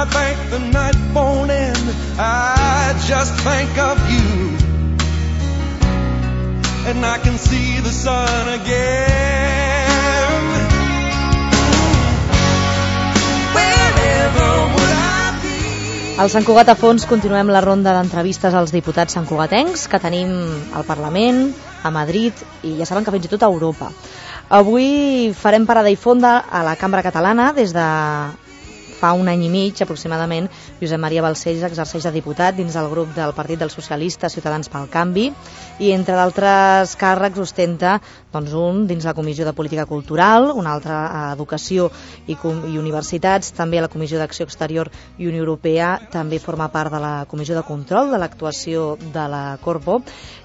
I think the night won't end, I just think of you, and I can see the sun again. Wherever would I be? Al Sant Cugat a fons continuem la ronda d'entrevistes als diputats santcugatencs que tenim al Parlament, a Madrid i ja saben que fins i tot a Europa. Avui farem parada i fonda a la Cambra Catalana. Des de fa un any i mig aproximadament, Josep Maria Balcells exerceix de diputat dins del grup del Partit dels Socialistes Ciutadans pel Canvi i entre d'altres càrrecs ostenta un dins la Comissió de Política Cultural, un altre a Educació i Universitats, també a la Comissió d'Acció Exterior i Unió Europea, també forma part de la Comissió de Control de l'actuació de la Corpo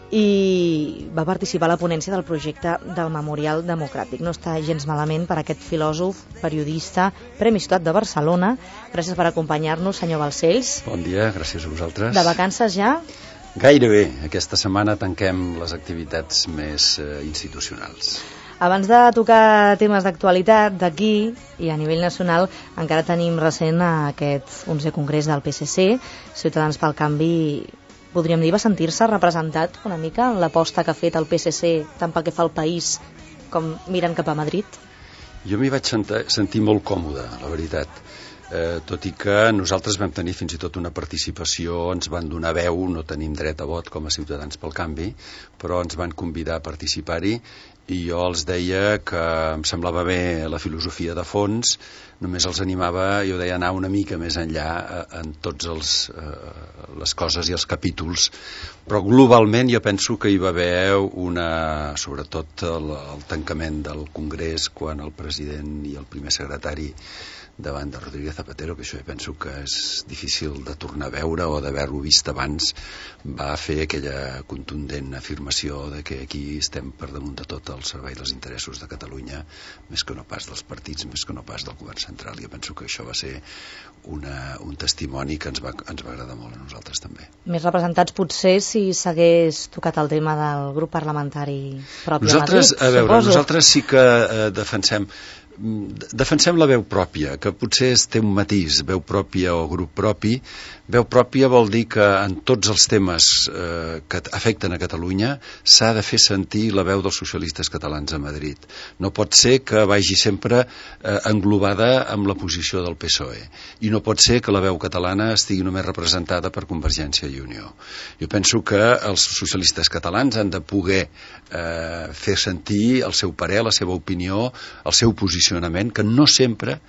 i va participar a la ponència del projecte del Memorial Democràtic. No està gens malament per aquest filòsof, periodista, Premi Ciutat de Barcelona. Gràcies per acompanyar-nos, senyor Balcells. Bon dia, gràcies a vosaltres. De vacances ja? Gairebé. Aquesta setmana tanquem les activitats més institucionals. Abans de tocar temes d'actualitat d'aquí i a nivell nacional, encara tenim recent aquest 11è congrés del PSC, Ciutadans pel Canvi. Podríem dir, va sentir-se representat una mica en l'aposta que ha fet el PSC tant pel que fa al país com mirant cap a Madrid? Jo m'hi vaig sentir molt còmode, la veritat. Tot i que nosaltres vam tenir fins i tot una participació, ens van donar veu, no tenim dret a vot com a Ciutadans pel Canvi, però ens van convidar a participar-hi i jo els deia que em semblava bé la filosofia de fons, només els animava, jo deia, anar una mica més enllà en tots les coses i els capítols, però globalment jo penso que hi va haver sobretot el tancament del Congrés quan el president i el primer secretari davant de Rodríguez Zapatero, que això jo penso que és difícil de tornar a veure o d'haver-ho vist abans, va fer aquella contundent afirmació de que aquí estem per damunt de tot al servei dels interessos de Catalunya, més que no pas dels partits, més que no pas del govern central. Jo penso que això va ser un testimoni que ens va agradar molt a nosaltres també. Més representats potser si s'hagués tocat el tema del grup parlamentari propi a Madrid, a veure, nosaltres sí que defensem la veu pròpia, que potser té un matís, veu pròpia o grup propi. Veu pròpia vol dir que en tots els temes que afecten a Catalunya s'ha de fer sentir la veu dels socialistes catalans a Madrid. No pot ser que vagi sempre englobada amb la posició del PSOE i no pot ser que la veu catalana estigui només representada per Convergència i Unió. Jo penso que els socialistes catalans han de poder fer sentir el seu parer, la seva opinió, el seu posicionament, que no sempre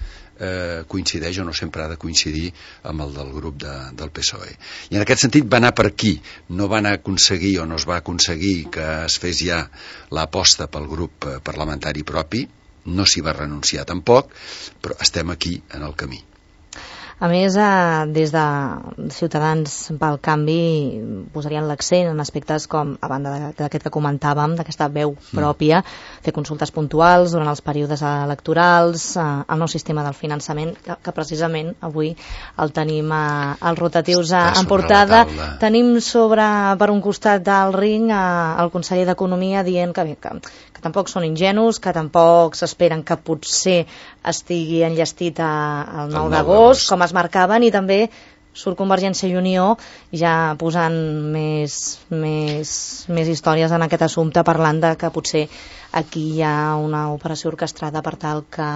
coincideix o no sempre ha de coincidir amb el del grup del PSOE. I en aquest sentit va anar per aquí. No van aconseguir o no es va aconseguir que es fes ja l'aposta pel grup parlamentari propi, no s'hi va renunciar tampoc, però estem aquí en el camí. A més, des de Ciutadans pel Canvi posarien l'accent en aspectes com, a banda d'aquest que comentàvem, d'aquesta veu pròpia, fer consultes puntuals durant els períodes electorals, el nou sistema del finançament, que precisament avui el tenim als rotatius en portada. Tenim per un costat del ring el conseller d'Economia dient que tampoc són ingenus, que tampoc s'esperen que potser estigui enllestit el 9 d'agost, com es marcaven, i també surt Convergència i Unió ja posant més històries en aquest assumpte, parlant de que potser aquí hi ha una operació orquestrada per tal que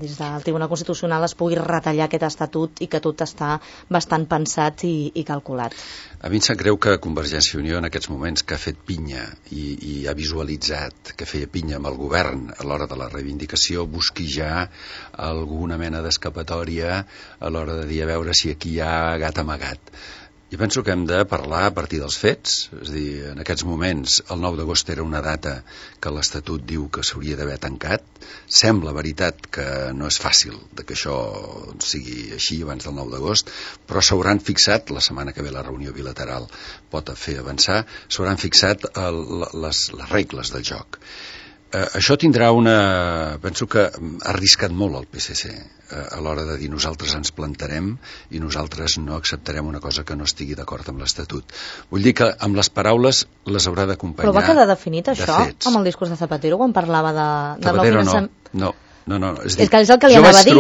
des del Tribunal Constitucional es pugui retallar aquest estatut i que tot està bastant pensat i calculat. A mi em sap greu que Convergència i Unió en aquests moments que ha fet pinya i ha visualitzat que feia pinya amb el govern a l'hora de la reivindicació busqui ja alguna mena d'escapatòria a l'hora de dir a veure si aquí hi ha gat amagat. Jo penso que hem de parlar a partir dels fets, és a dir, en aquests moments el 9 d'agost era una data que l'Estatut diu que s'hauria d'haver tancat. Sembla veritat que no és fàcil que això sigui així abans del 9 d'agost, però s'hauran fixat, la setmana que ve la reunió bilateral pot fer avançar, s'hauran fixat les regles del joc. Això tindrà penso que ha arriscat molt el PSC a l'hora de dir nosaltres ens plantarem i nosaltres no acceptarem una cosa que no estigui d'acord amb l'Estatut. Vull dir que amb les paraules les haurà d'acompanyar. Però va quedar definit això amb el discurs de Zapatero quan parlava de Zapatero no. és que és el que li anava a dir.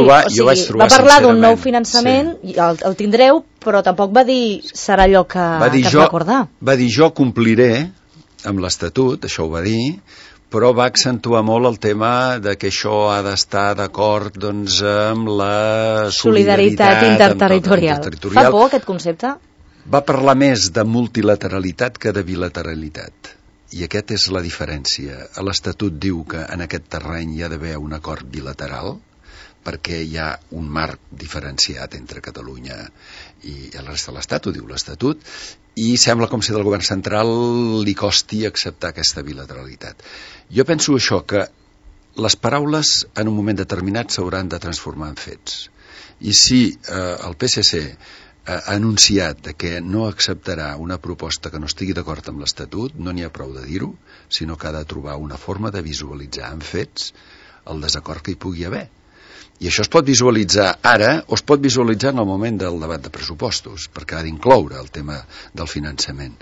Va parlar d'un nou finançament, i el tindreu, però tampoc va dir serà allò que es va acordar. Va dir jo compliré amb l'Estatut, això ho va dir, però va accentuar molt el tema de que això ha d'estar d'acord amb la solidaritat interterritorial. Fa por aquest concepte? Va parlar més de multilateralitat que de bilateralitat. I aquesta és la diferència. L'Estatut diu que en aquest terreny hi ha d'haver un acord bilateral, perquè hi ha un marc diferenciat entre Catalunya i la resta de l'Estat, ho diu l'Estatut, i sembla com si del govern central li costi acceptar aquesta bilateralitat. Jo penso això, que les paraules en un moment determinat s'hauran de transformar en fets. I si el PSC ha anunciat que no acceptarà una proposta que no estigui d'acord amb l'Estatut, no n'hi ha prou de dir-ho, sinó que ha de trobar una forma de visualitzar en fets el desacord que hi pugui haver. I això es pot visualitzar ara o es pot visualitzar en el moment del debat de pressupostos, perquè ha d'incloure el tema del finançament.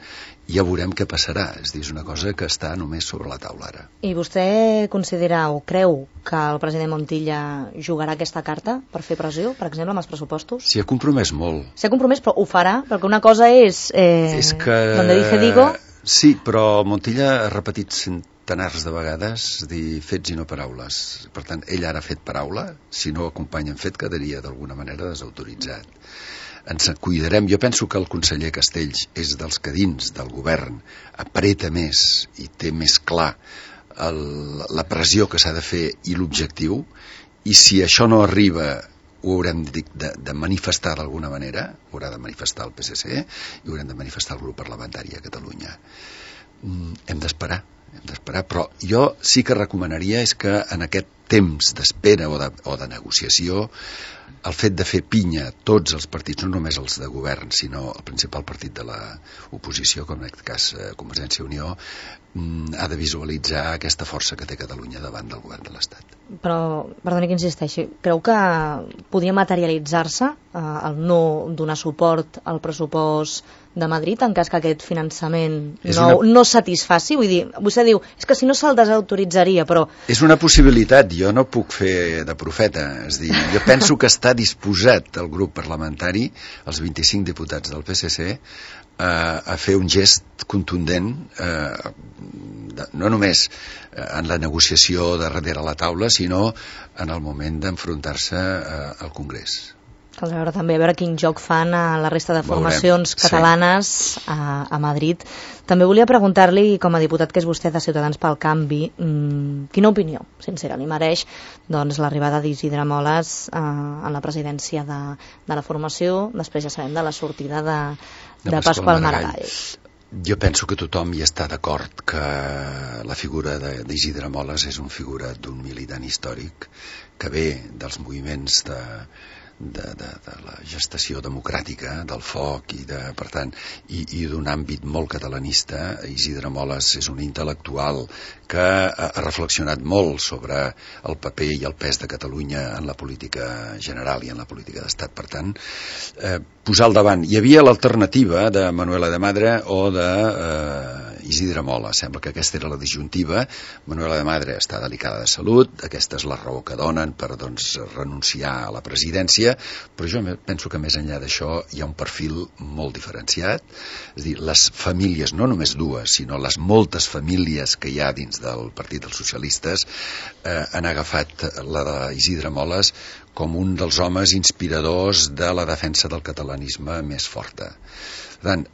Ja veurem què passarà, és a dir, és una cosa que està només sobre la taula ara. I vostè considera o creu que el president Montilla jugarà aquesta carta per fer pressió, per exemple, amb els pressupostos? S'hi ha compromès molt. S'hi ha compromès, però ho farà? Perquè una cosa és que... donde dije digo... Sí, però Montilla ha repetit centenars de vegades dir fets i no paraules. Per tant, ell ara ha fet paraula, si no acompanya en fet quedaria d'alguna manera desautoritzat. Ens cuidarem. Jo penso que el conseller Castells és dels que dins del govern apreta més i té més clar la pressió que s'ha de fer i l'objectiu, i si això no arriba ho haurem de manifestar d'alguna manera, ho haurà de manifestar el PSC i ho haurem de manifestar el grup parlamentari a Catalunya. Hem d'esperar, però jo sí que recomanaria és que en aquest temps d'espera o de negociació el fet de fer pinya tots els partits, no només els de govern, sinó el principal partit de l'oposició, com en aquest cas Convergència i Unió, ha de visualitzar aquesta força que té Catalunya davant del govern de l'Estat. Però, perdoni que insisteixi, creu que podria materialitzar-se el no donar suport al pressupost de Madrid en cas que aquest finançament no satisfaci? Vull dir, vostè diu, és que si no se'l desautoritzaria, però... És una possibilitat, jo no puc fer de profeta, és dir, jo penso que està disposat el grup parlamentari, els 25 diputats del PSC, a fer un gest contundent, no només en la negociació de darrere la taula, sinó en el moment d'enfrontar-se al Congrés. Caldrà veure també a veure quin joc fan a la resta de formacions catalanes a Madrid. També volia preguntar-li, com a diputat que és vostè de Ciutadans pel Canvi, quina opinió sincera li mereix l'arribada d'Isidre Moles en la presidència de la formació, després ja sabem de la sortida de Pasqual Maragall. Jo penso que tothom hi està d'acord que la figura d'Isidre Moles és una figura d'un militant històric que ve dels moviments de la gestació democràtica, del foc per tant, i d'un àmbit molt catalanista. Isidre Moles és un intel·lectual que ha reflexionat molt sobre el paper i el pes de Catalunya en la política general i en la política d'estat. Per tant, posar al davant. Hi havia l'alternativa de Manuela de Madre o de Isidre Moles. Sembla que aquesta era la disjuntiva. Manuela de Madre està delicada de salut, aquesta és la raó que donen per renunciar a la presidència, però jo penso que més enllà d'això hi ha un perfil molt diferenciat. És a dir, les famílies, no només dues, sinó les moltes famílies que hi ha dins del Partit dels Socialistes han agafat la d'Isidre Moles com un dels homes inspiradors de la defensa del catalanisme més forta. Per tant,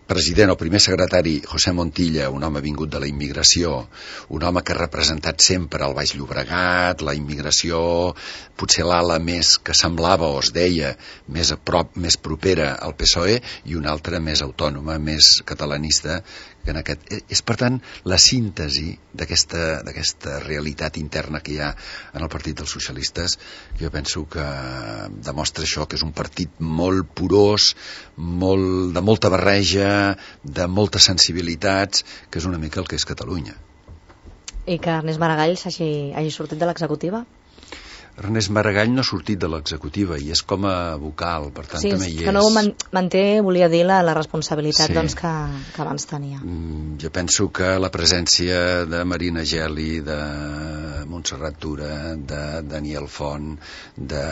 president o primer secretari José Montilla, un home vingut de la immigració, un home que ha representat sempre el Baix Llobregat, la immigració, potser l'ala més que semblava o es deia més a prop, més propera al PSOE, i una altra més autònoma, més catalanista, que és per tant la síntesi d'aquesta realitat interna que hi ha en el Partit dels Socialistes. Jo penso que demostra això, que és un partit molt porós, de molta barreja, de moltes sensibilitats, que és una mica el que és Catalunya. I que Ernest Maragall hagi sortit de l'executiva? Ernest Maragall no ha sortit de l'executiva i és com a vocal, per tant també hi és. Sí, que no manté, volia dir, la responsabilitat doncs, que abans tenia. Jo penso que la presència de Marina Geli, de Montserrat Tura, de Daniel Font, de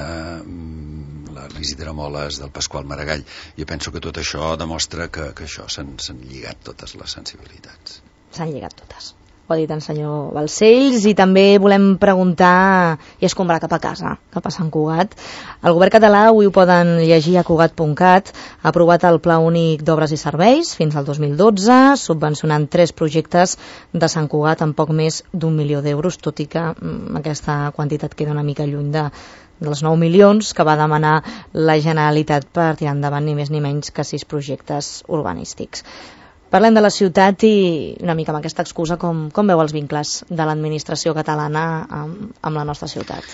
l'Isidre Moles, del Pasqual Maragall, jo penso que tot això demostra que això s'han lligat totes les sensibilitats. S'han lligat totes. Ho ha dit el senyor Balcells. I també volem preguntar i escombrar cap a casa, cap a Sant Cugat. El govern català, avui ho poden llegir a cugat.cat, ha aprovat el Pla Únic d'Obres i Serveis fins al 2012, subvencionant 3 projectes de Sant Cugat amb poc més d'1 milió d'euros, tot i que aquesta quantitat queda una mica lluny dels 9 milions que va demanar la Generalitat per tirar endavant ni més ni menys que 6 projectes urbanístics. Parlem de la ciutat i una mica amb aquesta excusa com veu els vincles de l'administració catalana amb la nostra ciutat.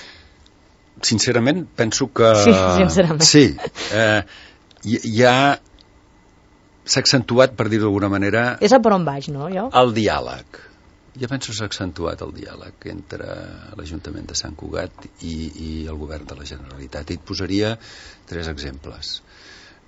Sincerament, penso que... Sí, sincerament. Sí, s'ha accentuat, per dir-ho d'alguna manera... És a per on vaig, no, jo? El diàleg. Jo penso que s'ha accentuat el diàleg entre l'Ajuntament de Sant Cugat i el govern de la Generalitat. I et posaria 3 exemples.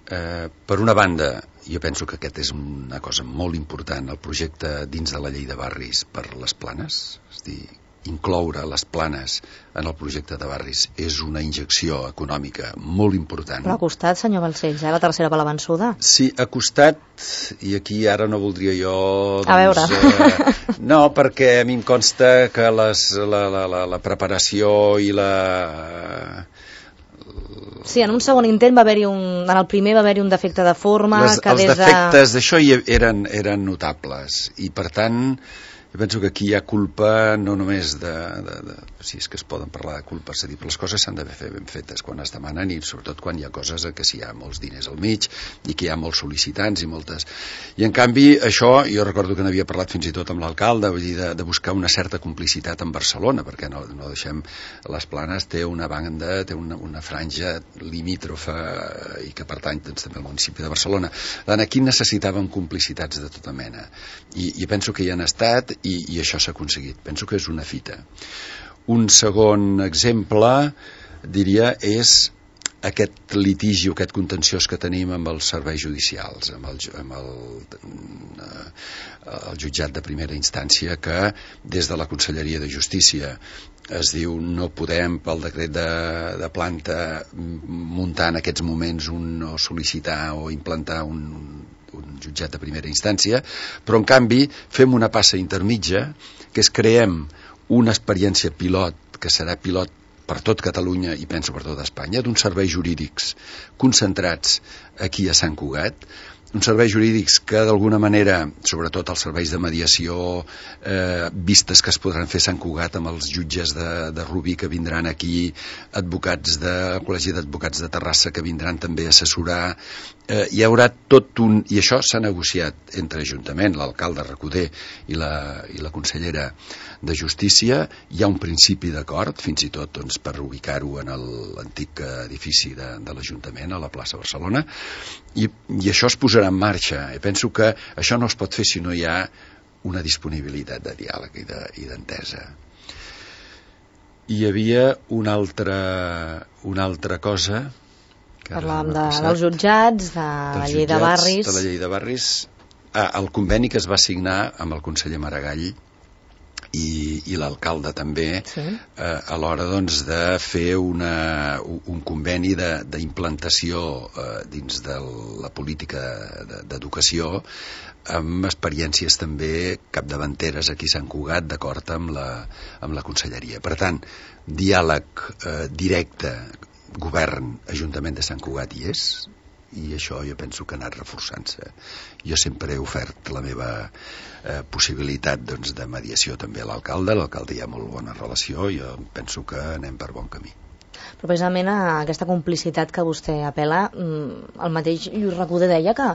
Per una banda, jo penso que aquest és una cosa molt important, el projecte dins de la llei de barris per les planes, és a dir, incloure les planes en el projecte de barris és una injecció econòmica molt important. Però ha costat, senyor Balcells, la tercera per la vençuda. Sí, ha costat, i aquí ara no voldria jo... A veure. No, perquè a mi em consta que la preparació i la... Sí, en un segon intent en el primer va haver-hi un defecte de forma els defectes d'això eren notables i per tant jo penso que aquí hi ha culpa no només si és que es poden parlar de culpa, és a dir, les coses s'han d'haver fet ben fetes quan es demanen i sobretot quan hi ha coses que hi ha molts diners al mig i que hi ha molts sol·licitants i moltes... I en canvi això, jo recordo que n'havia parlat fins i tot amb l'alcalde, vull dir, de buscar una certa complicitat amb Barcelona, perquè no deixem... Les Planes té una banda, té una franja limítrofa i que pertany doncs, també al municipi de Barcelona. Aquí necessitàvem complicitats de tota mena i penso que hi han estat i això s'ha aconseguit. Penso que és una fita. Un segon exemple, diria, és aquest litigi o aquest contenciós que tenim amb els serveis judicials, amb el jutjat de primera instància, que des de la Conselleria de Justícia es diu no podem pel decret de planta muntar en aquests moments o sol·licitar o implantar un jutjat de primera instància, però en canvi fem una passa intermitja, que és creem una experiència pilot, que serà pilot per tot Catalunya i penso per tot Espanya, d'uns serveis jurídics concentrats aquí a Sant Cugat, uns serveis jurídics que d'alguna manera, sobretot els serveis de mediació, vistes que es podran fer a Sant Cugat amb els jutges de Rubí que vindran aquí, advocats del Col·legi d'Advocats de Terrassa que vindran també a assessorar, hi haurà tot i això s'ha negociat entre Ajuntament, l'alcalde Recoder i la consellera de Justícia, hi ha un principi d'acord, fins i tot doncs, per ubicar-ho en l'antic edifici de l'Ajuntament a la plaça Barcelona, i això es posarà en marxa. I penso que això no es pot fer si no hi ha una disponibilitat de diàleg i d'entesa. Hi havia una altra cosa. Parlàvem dels jutjats, de la llei de barris. De la llei de barris. El conveni que es va signar amb el conseller Maragall i l'alcalde també, sí. A l'hora doncs, de fer un conveni d'implantació dins de la política d'educació amb experiències també capdavanteres aquí a Sant Cugat, d'acord amb la conselleria. Per tant, diàleg directe, govern, Ajuntament de Sant Cugat hi és, i això jo penso que ha anat reforçant-se. Jo sempre he ofert la meva possibilitat doncs, de mediació també a l'alcalde hi ha molt bona relació, jo penso que anem per bon camí. Però precisament a aquesta complicitat que vostè apel·la, el mateix Lluís Recoder deia que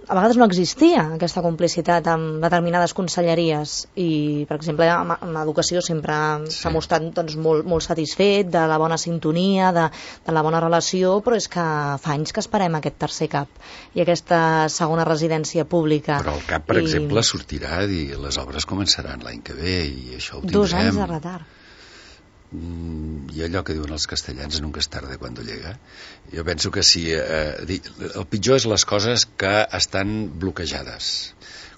a vegades no existia aquesta complicitat amb determinades conselleries i, per exemple, amb l'educació sempre s'ha mostrat doncs, molt satisfet de la bona sintonia, de la bona relació, però és que fa anys que esperem aquest tercer CAP i aquesta segona residència pública. Però el CAP, per exemple, sortirà i les obres començaran l'any que ve i això ho tindrem. 2 anys de retard. i allò que diuen els castellans, nunca es tarde cuando llega. Jo penso que sí, el pitjor és les coses que estan bloquejades.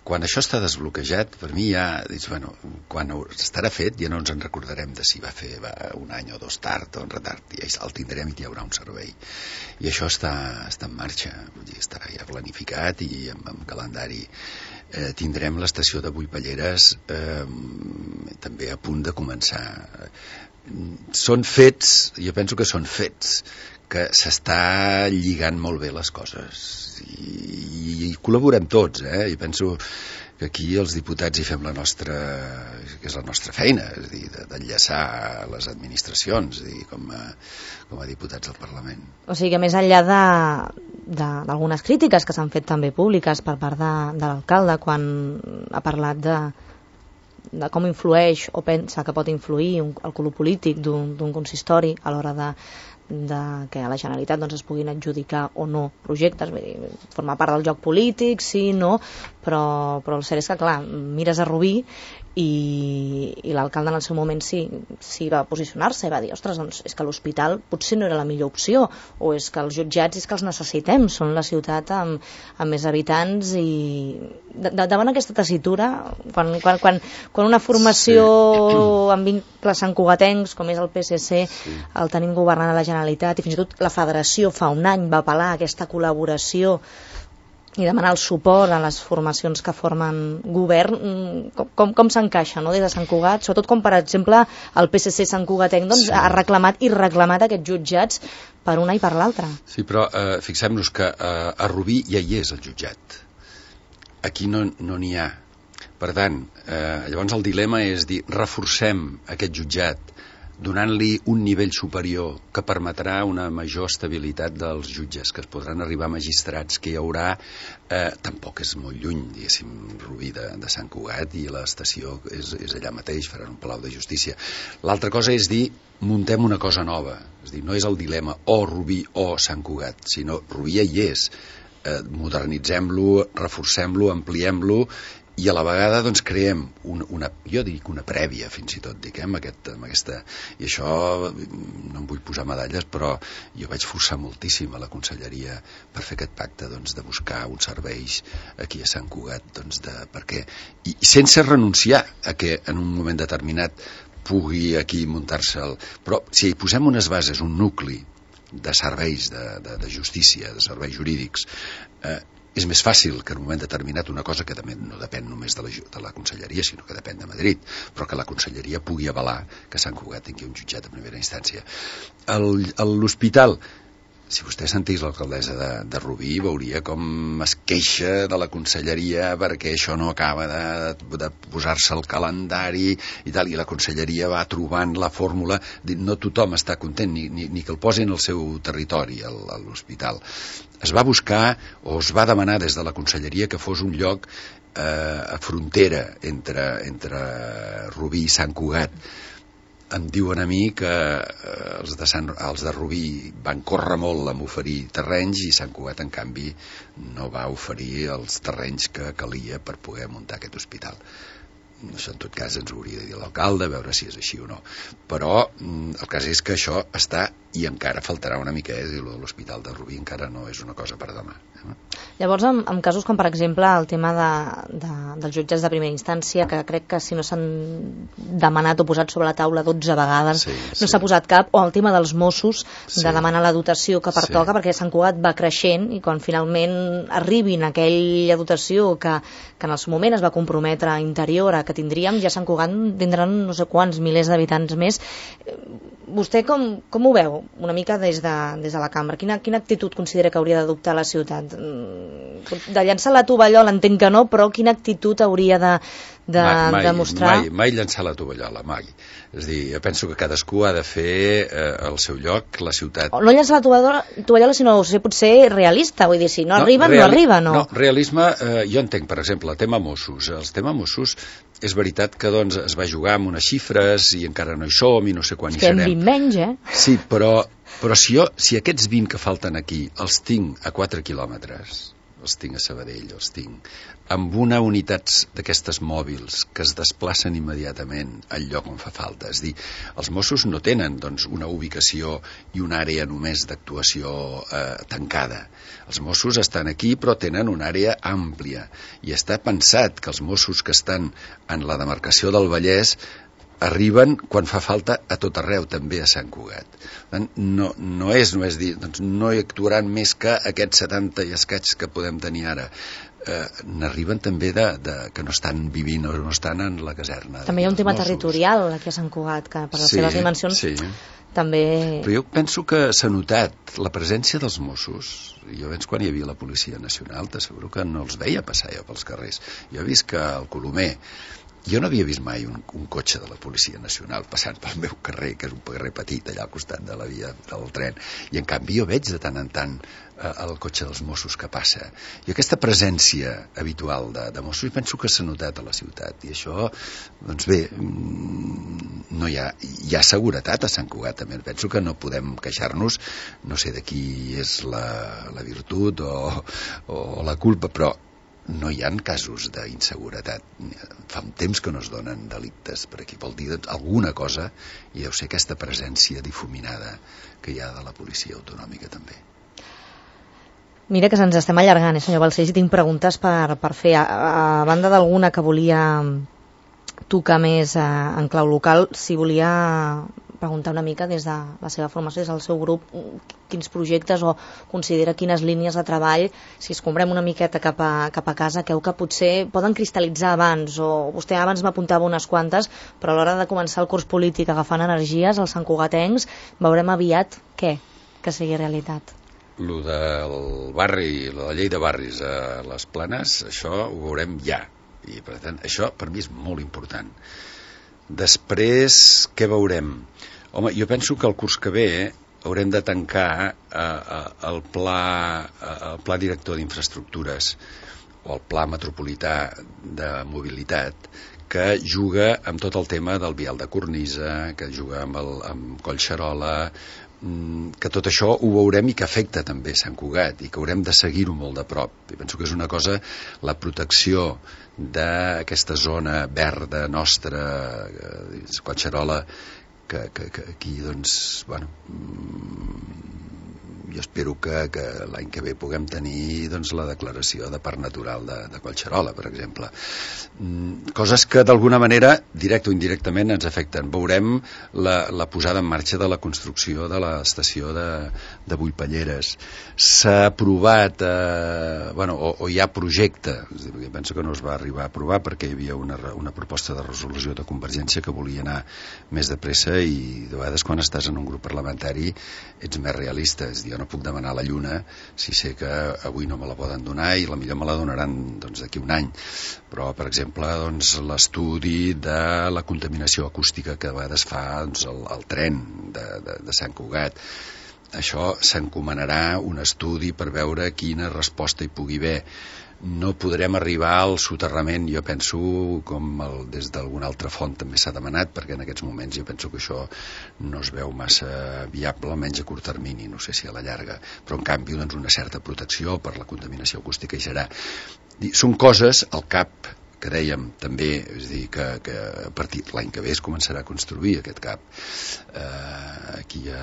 Quan això està desbloquejat, per mi ja dius, bueno, quan estarà fet ja no ens en recordarem de si va fer un any o dos tard o en retard, ja el tindrem i hi haurà un servei. I això està en marxa, vull dir, estarà ja planificat i amb calendari. Tindrem l'estació de Buipalleres també a punt de començar. Són fets, jo penso que són fets, que s'està lligant molt bé les coses i col·laborem tots, i penso que aquí els diputats hi fem la nostra, que és la nostra feina, és a dir, d'enllaçar les administracions, com a diputats del Parlament. O sigui que més enllà d'algunes crítiques que s'han fet també públiques per part de l'alcalde quan ha parlat de com influeix o pensa que pot influir el color polític d'un consistori a l'hora de que a la Generalitat es puguin adjudicar o no projectes, vull dir, formar part del joc polític, sí, no, però el cert és que, clar, mires a Rubí i l'alcalde en el seu moment sí va posicionar-se i va dir, ostres, doncs és que l'hospital potser no era la millor opció, o és que els jutjats és que els necessitem, són la ciutat amb més habitants, i davant aquesta tessitura, quan una formació amb vincles santcugatencs, com és el PSC, el tenim governant a la Generalitat, i fins i tot la federació fa un any va apel·lar a aquesta col·laboració i demanar el suport a les formacions que formen govern, com s'encaixa, no?, des de Sant Cugat, sobretot com, per exemple, el PSC santcugatenc ha reclamat i reclamat aquests jutjats per una i per l'altra. Sí, però fixem-nos que a Rubí ja hi és el jutjat. Aquí no n'hi ha. Per tant, llavors el dilema és dir, reforcem aquest jutjat donant-li un nivell superior que permetrà una major estabilitat dels jutges, que es podran arribar a magistrats, que hi haurà, tampoc és molt lluny, diguéssim, Rubí de Sant Cugat, i l'estació és allà mateix, faran un palau de justícia. L'altra cosa és dir, muntem una cosa nova, és dir, no és el dilema o Rubí o Sant Cugat, sinó Rubí ja hi és, modernitzem-lo, reforcem-lo, ampliem-lo, i a la vegada doncs creem jo dic una prèvia, fins i tot amb aquesta, i això no em vull posar medalles, però jo vaig forçar moltíssim a la conselleria per fer aquest pacte de buscar uns serveis aquí a Sant Cugat, perquè, i sense renunciar a que en un moment determinat pugui aquí muntar-se però si hi posem unes bases, un nucli de serveis de justícia, de serveis jurídics, és més fàcil que en un moment determinat una cosa que també no depèn només de la conselleria, sinó que depèn de Madrid, però que la conselleria pugui avalar que Sant Cugat tingui un jutjat de primera instància. L'hospital, si vostè sentís l'alcaldessa de Rubí, veuria com es queixa de la conselleria perquè això no acaba de posar-se al calendari i tal, i la conselleria va trobant la fórmula, no tothom està content, ni que el posin al seu territori, a l'hospital. Es va buscar o es va demanar des de la conselleria que fos un lloc a frontera entre Rubí i Sant Cugat. Em diuen a mi que els de Rubí van córrer molt amb oferir terrenys i Sant Cugat, en canvi, no va oferir els terrenys que calia per poder muntar aquest hospital. Això en tot cas ens ho hauria de dir l'alcalde, a veure si és així o no, però el cas és que això està i encara faltarà una mica, l'hospital de Rubí encara no és una cosa per demà. Llavors, en casos com, per exemple, el tema dels jutjats de primera instància, que crec que si no s'han demanat o posat sobre la taula 12 vegades, no s'ha posat cap, o el tema dels Mossos, de demanar la dotació que pertoca, perquè Sant Cugat va creixent i quan finalment arribin aquella dotació que en el seu moment es va comprometre a Interior a que tindríem, ja Sant Cugat tindran no sé quants milers d'habitants més. Vostè com ho veu una mica des de la cambra? Quina actitud considera que hauria d'adoptar la ciutat? De llançar la tovallola entenc que no, però quina actitud hauria de mostrar? Mai llançar la tovallola, mai. És a dir, jo penso que cadascú ha de fer el seu lloc, la ciutat. No llançar la tovallola, sinó ser potser realista, vull dir, si no arriba, no arriba, no? No, realisme, jo entenc, per exemple, el tema Mossos. El tema Mossos és veritat que es va jugar amb unes xifres i encara no hi som i no sé quan hi serem. És que hem 20 menys, Sí, però si aquests 20 que falten aquí els tinc a 4 quilòmetres, els tinc a Sabadell, els tinc amb una unitat d'aquestes mòbils que es desplacen immediatament al lloc on fa falta. És dir, els Mossos no tenen doncs, una ubicació i una àrea només d'actuació tancada. Els Mossos estan aquí però tenen una àrea àmplia i està pensat que els Mossos que estan en la demarcació del Vallès arriben quan fa falta a tot arreu, també a Sant Cugat. No és dir, doncs no hi actuaran més que aquests 70 i escaig que podem tenir ara. N'arriben també que no estan vivint o no estan en la caserna. També hi ha un tema territorial aquí a Sant Cugat, que per les seves dimensions també... Però jo penso que s'ha notat la presència dels Mossos. Jo abans, quan hi havia la Policia Nacional, t'asseguro que no els veia passar jo pels carrers. Jo he vist que al Colomer jo no havia vist mai un cotxe de la Policia Nacional passant pel meu carrer, que és un carrer petit allà al costat de la via del tren, i en canvi jo veig de tant en tant el cotxe dels Mossos que passa. I aquesta presència habitual de Mossos penso que s'ha notat a la ciutat, i això, doncs bé, no hi ha seguretat a Sant Cugat també. Penso que no podem queixar-nos, no sé de qui és la virtut o la culpa, però no hi ha casos d'inseguretat. Fa un temps que no es donen delictes per aquí. Vol dir alguna cosa, i deu ser aquesta presència difuminada que hi ha de la policia autonòmica també. Mira que se'ns estem allargant, senyor Balcells, i tinc preguntes per fer. A banda d'alguna que volia tocar més en clau local, si volia preguntar una mica des de la seva formació, des del seu grup, quins projectes o considera quines línies de treball, si escombrem una miqueta cap a casa, creu que potser poden cristal·litzar abans, o vostè abans m'apuntava unes quantes, però a l'hora de començar el curs polític agafant energies, els santcugatencs, veurem aviat què? Que sigui realitat. Lo del barri, la llei de barris a les Planes, això ho veurem ja, i per tant això per mi és molt important. Després, què veurem? Home, jo penso que el curs que ve haurem de tancar el pla director d'infraestructures o el pla metropolità de mobilitat, que juga amb tot el tema del vial de cornisa, que juga amb Collserola, que tot això ho veurem i que afecta també Sant Cugat i que haurem de seguir-ho molt de prop. I penso que és una cosa, la protecció d'aquesta zona verda nostra, Collserola, que aquí, doncs, bueno, jo espero que l'any que ve puguem tenir doncs, la declaració de parc natural de Collserola, per exemple. Coses que d'alguna manera, directe o indirectament, ens afecten. Veurem la posada en marxa de la construcció de l'estació de Bullpalleres. S'ha aprovat, o hi ha projecte, jo penso que no es va arribar a aprovar perquè hi havia una proposta de resolució de Convergència que volia anar més de pressa, i de vegades quan estàs en un grup parlamentari ets més realista. És dir, jo no puc demanar la lluna si sé que avui no me la poden donar i la millor me la donaran d'aquí un any. Però, per exemple, l'estudi de la contaminació acústica que a vegades fa el tren de Sant Cugat, això s'encomanarà un estudi per veure quina resposta hi pugui haver. No podrem arribar al soterrament, jo penso, com des d'alguna altra font també s'ha demanat, perquè en aquests moments jo penso que això no es veu massa viable, almenys a curt termini, no sé si a la llarga, però en canvi doncs, una certa protecció per la contaminació acústica hi serà. Són coses, al CAP, que dèiem també, és a dir, que a partir de l'any que ve es començarà a construir aquest CAP aquí a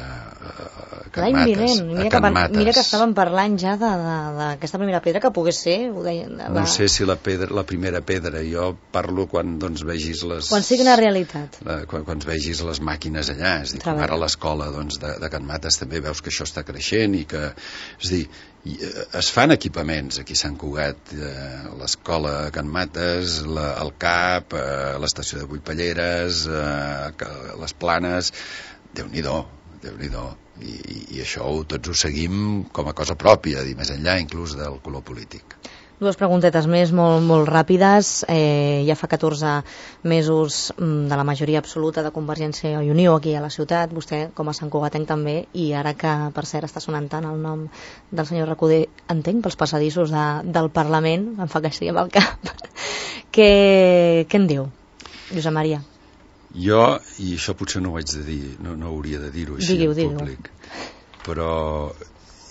Can Mates. Mira que estàvem parlant ja d'aquesta primera pedra que pogués ser, ho deia, no sé si la primera pedra, jo parlo quan vegis les... Quan sigui una realitat. Quan vegis les màquines allà, és a dir, com ara l'escola de Can Mates també veus que això està creixent i que, és a dir, es fan equipaments aquí a Sant Cugat, l'escola Can Mates, el CAP, l'estació de Bullpalleres, les Planes, Déu-n'hi-do, i això tots ho seguim com a cosa pròpia, més enllà inclús del color polític. Dues preguntetes més, molt ràpides. Ja fa 14 mesos de la majoria absoluta de Convergència i Unió aquí a la ciutat, vostè com a santcugatenc també, i ara que per cert està sonant tant el nom del senyor Recoder, entenc, pels passadissos del Parlament, em fa que sí amb el cap. Què en diu, Josep Maria? Jo, i això potser no ho haig de dir, no hauria de dir-ho així en públic, però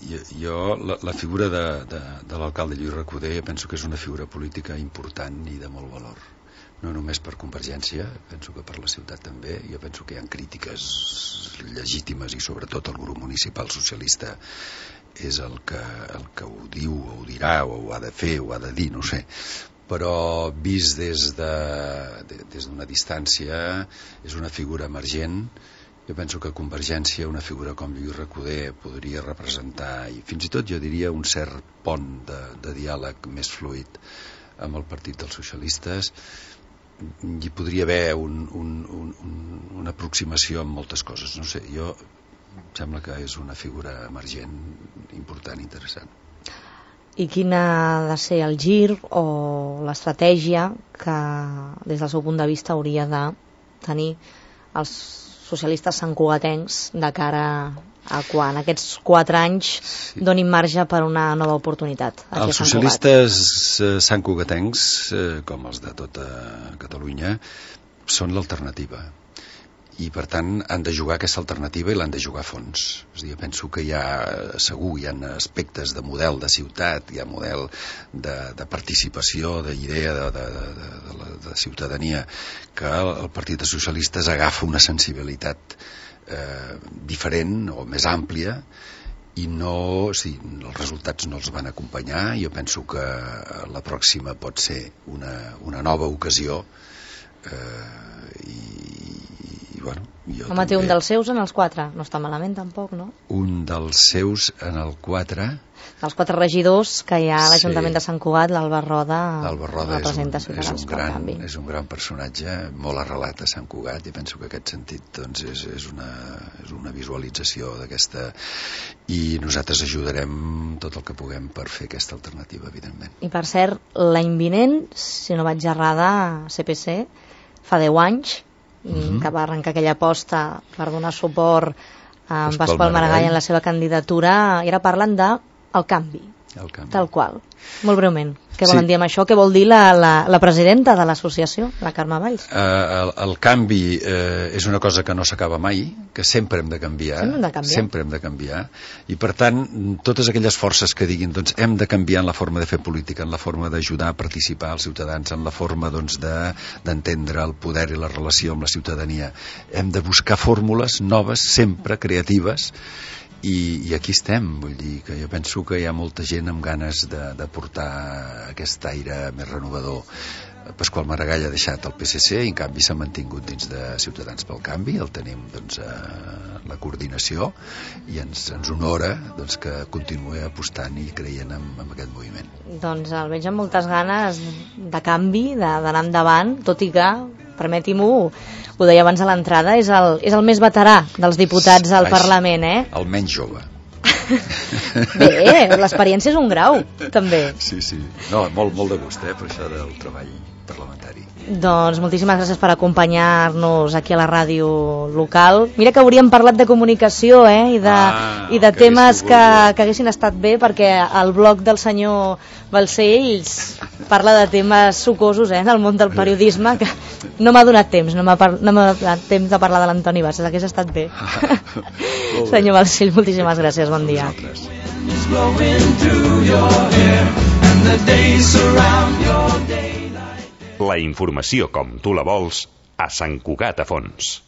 Jo la figura de l'alcalde Lluís Recoder penso que és una figura política important i de molt valor, no només per Convergència, penso que per la ciutat també. Jo penso que hi ha crítiques legítimes i sobretot el grup municipal socialista és el que ho diu o ho dirà o ho ha de fer o ho ha de dir, no ho sé, però vist des d'una distància és una figura emergent. Jo penso que Convergència, una figura com Lluís Recoder, podria representar, i fins i tot jo diria un cert pont de diàleg més fluid amb el Partit dels Socialistes. Hi podria haver una aproximació en moltes coses, no sé, jo em sembla que és una figura emergent, important, interessant. I quin ha de ser el gir o l'estratègia que des del seu punt de vista hauria de tenir els socialistes santcugatencs de cara a quan aquests 4 anys donin marge per una nova oportunitat? Els socialistes santcugatencs, com els de tota Catalunya, són l'alternativa. I per tant han de jugar aquesta alternativa i l'han de jugar a fons. És a dir, penso que hi ha aspectes de model de ciutat, hi ha model de participació, d'idea de ciutadania, que el Partit dels Socialistes agafa una sensibilitat diferent o més àmplia i els resultats no els van acompanyar. Jo penso que la pròxima pot ser una nova ocasió Home, té un dels seus en els 4, no està malament tampoc, no? Un dels seus en el 4... Els 4 regidors que hi ha a l'Ajuntament de Sant Cugat, l'Alba Roda representa Ciutadans pel Canvi. És un gran personatge, molt arrelat a Sant Cugat, i penso que aquest sentit és una visualització d'aquesta, i nosaltres ajudarem tot el que puguem per fer aquesta alternativa, evidentment. I per cert, l'any vinent, si no vaig errada, CPC fa 10 anys que va arrencar aquella aposta per donar suport a Pasqual Maragall en la seva candidatura, i ara parlen de el canvi, tal qual. Molt breument, què volen dir amb això? Què vol dir la presidenta de l'associació, la Carme Valls? El canvi és una cosa que no s'acaba mai, que sempre hem de canviar, sempre hem de canviar, i per tant totes aquelles forces que diguin doncs hem de canviar en la forma de fer política, en la forma d'ajudar a participar els ciutadans, en la forma doncs d'entendre el poder i la relació amb la ciutadania, hem de buscar fórmules noves, sempre creatives, i aquí estem. Vull dir que jo penso que hi ha molta gent amb ganes de portar aquest aire més renovador. Pasqual Maragall ha deixat el PSC i en canvi s'ha mantingut dins de Ciutadans pel Canvi, el tenim doncs a la coordinació, i ens honora doncs que continuï apostant i creient en aquest moviment. Doncs el veig amb moltes ganes de canvi, d'anar endavant, tot i que, permeti-m'ho, ho deia abans a l'entrada, és el més veterà dels diputats al Parlament, eh? El menys jove. Bé, l'experiència és un grau, també. Sí. No, molt de gust, per això del treball parlamentari. Doncs moltíssimes gràcies per acompanyar-nos aquí a la ràdio local. Mira que hauríem parlat de comunicació, i de temes que haguessin estat bé, perquè el blog del senyor Balcells parla de temes sucosos, del món del periodisme, que no m'ha donat temps, no m'ha donat temps de parlar de l'Antoni Bassas, hagués estat bé. Senyor Balcells, moltíssimes gràcies, bon dia. La informació com tu la vols a Sant Cugat a Fons.